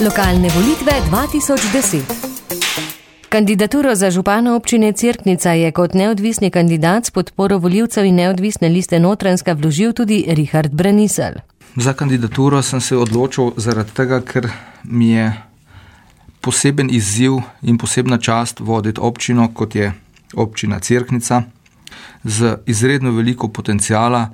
Lokalne volitve 2010. Kandidaturo za župana občine Cerknica je kot neodvisni kandidat s podporo volivcev in neodvisne liste Notranjska vložil tudi Richard Braniselj. Za kandidaturo sem se odločil zaradi tega, ker mi je poseben izziv in posebna čast voditi občino, kot je občina Cerknica, z izredno veliko potencijala,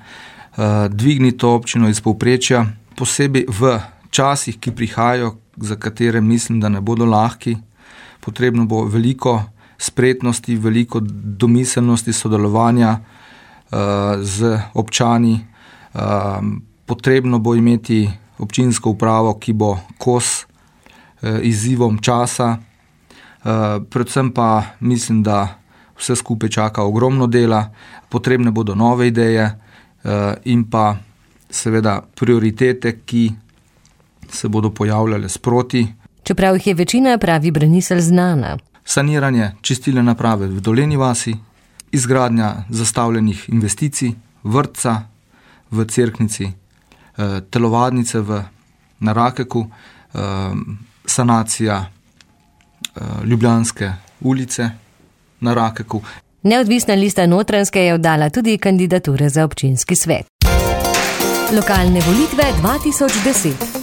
dvigniti to občino iz povprečja, posebej v časih, ki prihajajo, za katere mislim, da ne bodo lahki. Potrebno bo veliko spretnosti, veliko domiselnosti, sodelovanja z občani. Potrebno bo imeti občinsko upravo, ki bo kos izzivom časa. Predvsem pa mislim, da vse skupaj čaka ogromno dela, potrebne bodo nove ideje in pa seveda prioritete, ki se bodo pojavljale sproti. Čeprav jih je večina, pravi Braniselj, znana. Saniranje čistilne naprave v Dolenji vasi, izgradnja zastavljenih investicij, vrtca v Cerknici, telovadnice na Rakeku, sanacija Ljubljanske ulice na Rakeku. Neodvisna lista Notranjske je oddala tudi kandidature za občinski svet. Lokalne volitve 2010.